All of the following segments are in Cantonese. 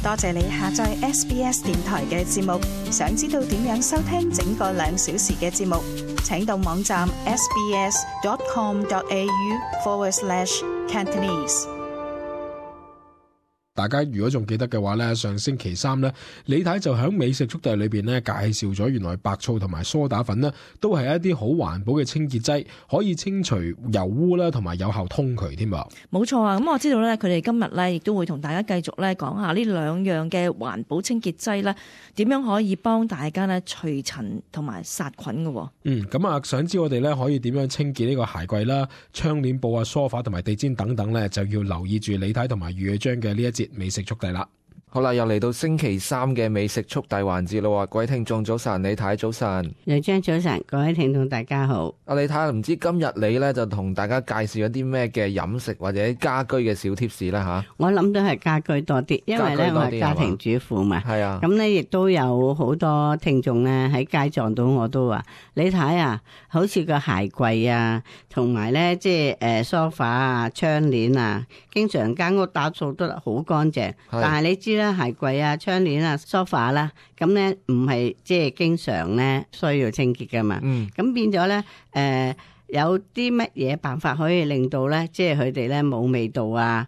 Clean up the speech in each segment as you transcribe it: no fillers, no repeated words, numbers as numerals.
多謝你下載 SBS 電台嘅節目。想知道點樣收聽整個2小時嘅節目，請到網站 sbs.com.au/Cantonese。大家如果仲記得嘅話呢，上星期3呢，李太就喺美食速遞裏邊呢介紹咗原來白醋同埋梳打粉呢都係一啲好環保嘅清潔劑，可以清除油污啦，同埋有效通渠添噃。冇錯啊！咁我知道咧，佢哋今日咧亦都會同大家繼續咧講下呢2樣嘅環保清潔劑咧，點樣可以幫大家咧除塵同埋殺菌嘅。咁啊，想知我哋咧可以點樣清潔呢個鞋櫃啦、窗簾布啊、梳化同埋地氈等等咧，就要留意住李太同埋余偉章嘅呢一節美食速遞啦。好啦，又嚟到星期3嘅美食速遞環節啦。各位聽眾早晨，李太早晨，余章早晨，各位聽眾大家好。阿李太，唔知今日你咧就同大家介紹一啲咩嘅飲食或者家居嘅小貼士啦吓？我諗都係家居多啲，因為咧我係家庭主婦嘛。係啊，咁咧亦都有好多聽眾咧喺街撞到我都話，李太啊，好似個鞋櫃啊，同埋咧即係梳化啊、窗簾啊，經常間屋打掃得好乾淨，但係你知啦，鞋櫃啊、窗簾啊、梳化啦，咁咧唔係即係經常咧需要清潔噶嘛。咁變咗咧有啲乜嘢辦法可以令到咧，即係佢哋咧冇味道啊？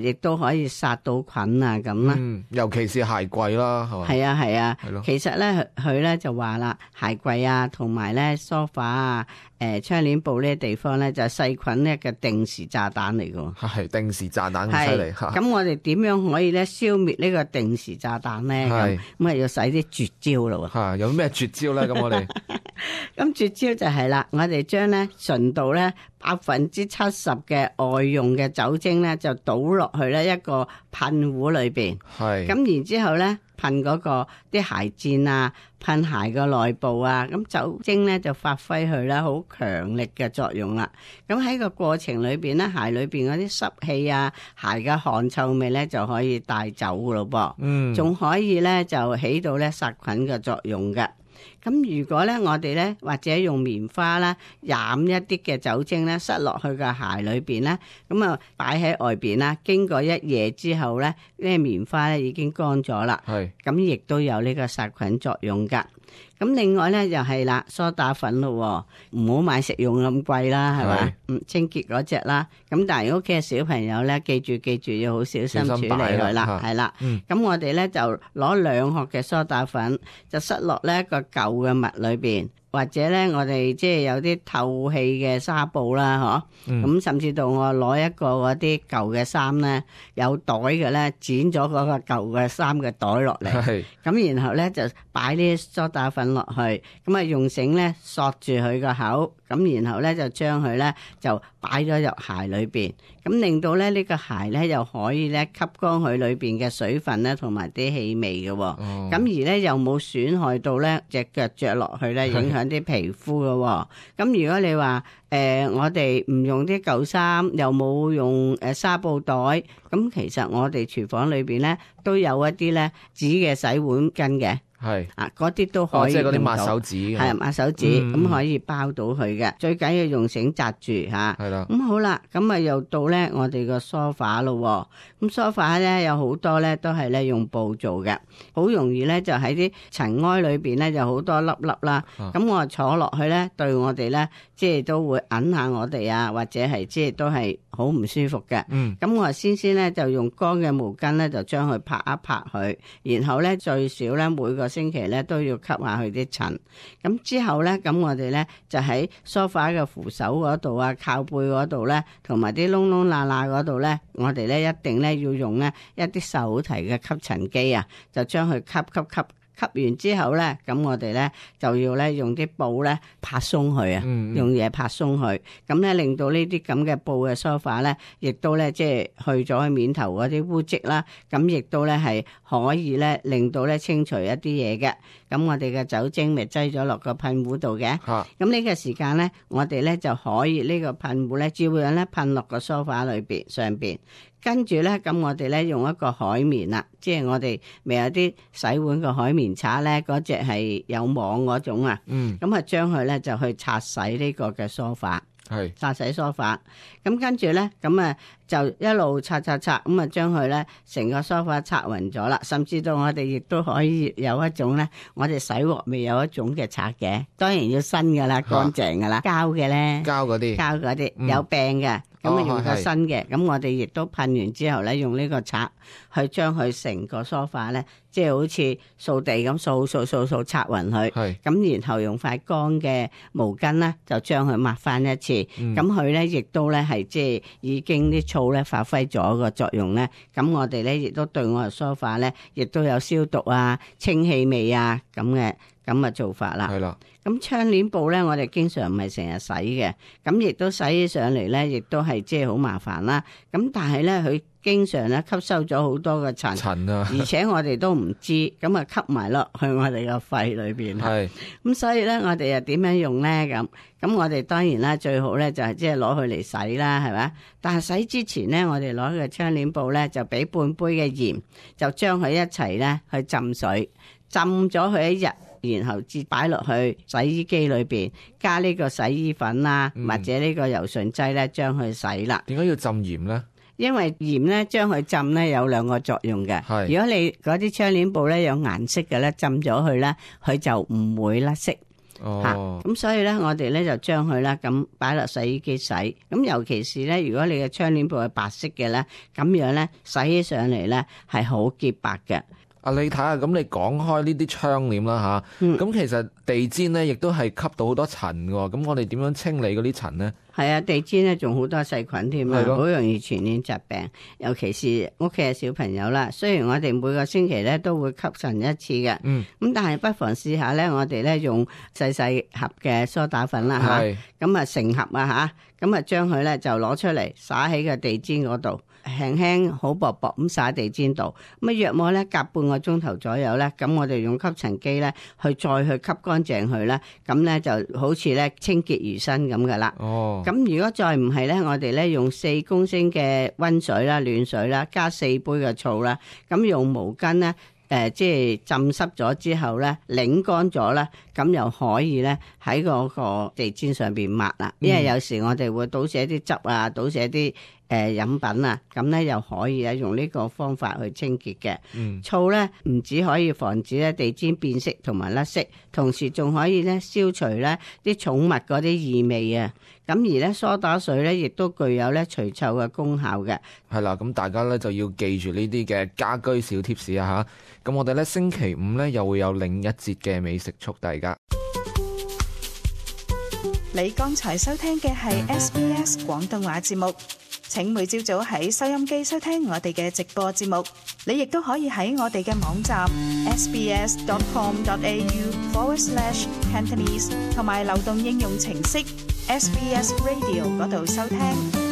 亦都可以殺到菌啊咁啦。尤其是鞋櫃啦，係嘛？係啊係啊。係咯。其實咧，佢咧就話啦，鞋櫃啊，同埋咧梳化啊、窗簾布呢啲地方咧，就係細菌咧嘅定時炸彈嚟㗎。係定時炸彈咁犀利。咁我哋點樣可以咧消滅呢個定時炸彈咧？咁啊要使啲絕招咯喎。有咩絕招咧？咁我哋咁絕招就係啦，我哋將咧純度咧70%嘅外用嘅酒精咧，就倒落去咧一個噴壺裏邊。係咁然之後咧噴嗰個啲鞋墊啊，噴鞋個內部啊，咁酒精咧就發揮佢咧好強力嘅作用啦。咁喺個過程裏邊咧，鞋裏邊嗰啲濕氣啊，鞋嘅汗臭味咧就可以帶走噶咯噃。仲可以咧就起到咧殺菌嘅作用嘅。咁如果咧我哋咧或者用棉花啦染一啲嘅酒精咧塞落去個鞋裏邊咧，咁啊擺喺外邊啦，經過1夜之後咧，呢個棉花咧已經乾咗啦。係咁亦都有呢個殺菌作用噶。咁另外咧就係啦，梳打粉咯，唔好買食用咁貴啦，係咪？清潔嗰隻啦。咁但係如果屋企嘅小朋友咧，記住要好小心處理佢啦，係啦。咁我哋咧就攞2殼嘅梳打粉，就塞落呢一個舊嘅襪裏邊。或者咧，我哋即係有啲透氣嘅紗布啦，咁甚至到我攞一個嗰啲舊嘅衫咧，有袋嘅咧，剪咗嗰個舊嘅衫嘅袋落嚟，咁然後咧就擺啲梳打粉落去，咁啊用繩咧索住佢個口，咁然後咧就將佢咧就擺咗入鞋裏邊，咁令到咧呢個鞋咧又可以咧吸乾佢裏邊嘅水分咧同埋啲氣味嘅，咁而咧又冇損害到咧隻腳着落去咧影響啲皮膚嘅。咁如果你話我哋唔用啲舊衫，又冇用紗布袋，咁其實我哋廚房裏邊咧都有一啲咧紙嘅洗碗巾嘅。係啊，嗰啲都可以用到，即係嗰啲抹手紙，係抹手紙，咁可以包到佢嘅。最緊要用繩紮住吓。係啦。咁好啦，咁啊又到咧我哋個梳化咯。咁梳化咧有好多咧都係咧用布做嘅，好容易咧就喺啲塵埃裏邊咧就好多粒粒啦。咁我坐落去咧，對我哋咧即係都會揞下我哋啊，或者係即係都係好唔舒服嘅。咁我先咧就用乾嘅毛巾咧就將佢拍一拍佢，然後咧最少咧每個星期咧都要吸下佢啲塵，咁之後咧，咁我哋咧就喺梳化嘅扶手嗰度啊、靠背嗰度咧，同埋啲窿窿罅罅嗰度咧，我哋咧一定咧要用咧一啲手提嘅吸塵機啊，就將佢吸完之後咧，咁我哋咧就要咧用啲布咧拍鬆佢啊，用嘢拍鬆佢，咁咧令到呢啲咁嘅布嘅梳化咧，亦都咧即係去咗佢面頭嗰啲污漬啦，咁亦都咧係可以咧令到咧清除一啲嘢嘅。咁我哋嘅酒精咪擠咗落個噴壺度嘅，咁呢個時間咧，我哋咧就可以呢個噴壺咧照樣咧噴落個梳化裏邊上邊。跟住咧，咁我哋咧用一個海綿啦，即係我哋咪有啲洗碗個海綿刷咧，嗰隻係有網嗰種啊。咁啊將佢咧就去擦洗呢個嘅梳化。擦洗梳化。咁跟住咧，咁啊就一路擦，咁啊將佢咧成個梳化擦勻咗啦。甚至到我哋亦都可以有一種咧，我哋洗鑊未有一種嘅刷嘅，當然要新噶啦，乾淨噶啦，膠嘅咧，膠嗰啲有病嘅。咁啊用個新嘅，咁我哋亦都噴完之後咧，用呢個刷去將佢成個梳化咧，即係好似掃地咁掃刷勻佢。咁然後用塊乾嘅毛巾咧，就將佢抹翻一次。咁佢咧亦都咧係即係已經啲醋咧發揮咗個作用咧。咁我哋咧亦都對我哋梳化咧，亦都有消毒啊、清氣味啊咁嘅做法啦。係啦。咁窗簾布咧，我哋經常唔係成日洗嘅，咁亦都洗起上嚟咧，亦都係即係好麻煩啦。咁但係咧，佢經常咧吸收咗好多嘅塵啊，而且我哋都唔知，咁啊吸埋落去我哋個肺裏邊。係。咁所以咧，我哋又點樣用咧？咁我哋當然啦，最好咧就係即係攞佢嚟洗啦，係咪？但係洗之前咧，我哋攞個窗簾布咧，就俾半杯嘅鹽，就將佢一齊咧去浸水，浸咗佢一日。然後至擺落去洗衣機裏邊，加呢個洗衣粉啦，或者呢個柔順劑咧，將佢洗啦。點解要浸鹽呢？因為鹽咧將佢浸咧有兩個作用嘅。如果你嗰啲窗簾布咧有顏色嘅咧，浸咗佢咧，佢就唔會甩色。咁所以咧，我哋咧就將佢咧咁擺落洗衣機洗。咁尤其是咧，如果你嘅窗簾布係白色嘅咧，咁樣咧洗起上嚟咧係好潔白嘅。你睇下，咁你講開呢啲窗簾啦吓，咁其實地氈咧亦都係吸到好多塵嘅，咁我哋點樣清理嗰啲塵呢？係啊，地氈咧仲好多細菌添啊，好容易傳染疾病，尤其是屋企嘅小朋友啦。雖然我哋每個星期咧都會吸塵一次嘅，咁但係不妨試下咧，我哋咧用細細盒嘅梳打粉啦吓，咁啊成盒啊吓，咁啊將佢咧就攞出嚟灑喺個地氈嗰度。輕輕好薄薄咁灑地氈度，咁啊約莫咧隔半個鐘頭左右咧，咁我哋用吸塵機咧去再去吸乾淨佢啦，咁咧就好似咧清潔如新咁噶啦。咁如果再唔係咧，我哋咧用4公升嘅溫水啦、暖水啦，加4杯嘅醋啦，咁用毛巾咧。即係浸濕咗之後咧，擰乾咗咧，咁又可以咧喺嗰個地氈上邊抹啦。因為有時我哋會倒瀉啲汁啊，倒瀉啲飲品啊，咁咧又可以用呢個方法去清潔嘅。醋咧唔止可以防止咧地氈變色同埋甩色，同時仲可以咧消除咧啲寵物嗰啲異味啊。咁而咧梳打水咧亦都具有咧除臭嘅功效嘅。係啦，咁大家咧就要記住呢啲嘅家居小貼士啊吓。咁我哋咧星期五咧又會有另一節嘅美食速遞㗎。你剛才收聽嘅係 SBS 廣東話節目。請每朝早喺收音機收聽我哋嘅直播節目。你亦都可以喺我哋嘅網站 sbs.com.au/Cantonese 同埋流動應用程式 SBS Radio 嗰度收聽。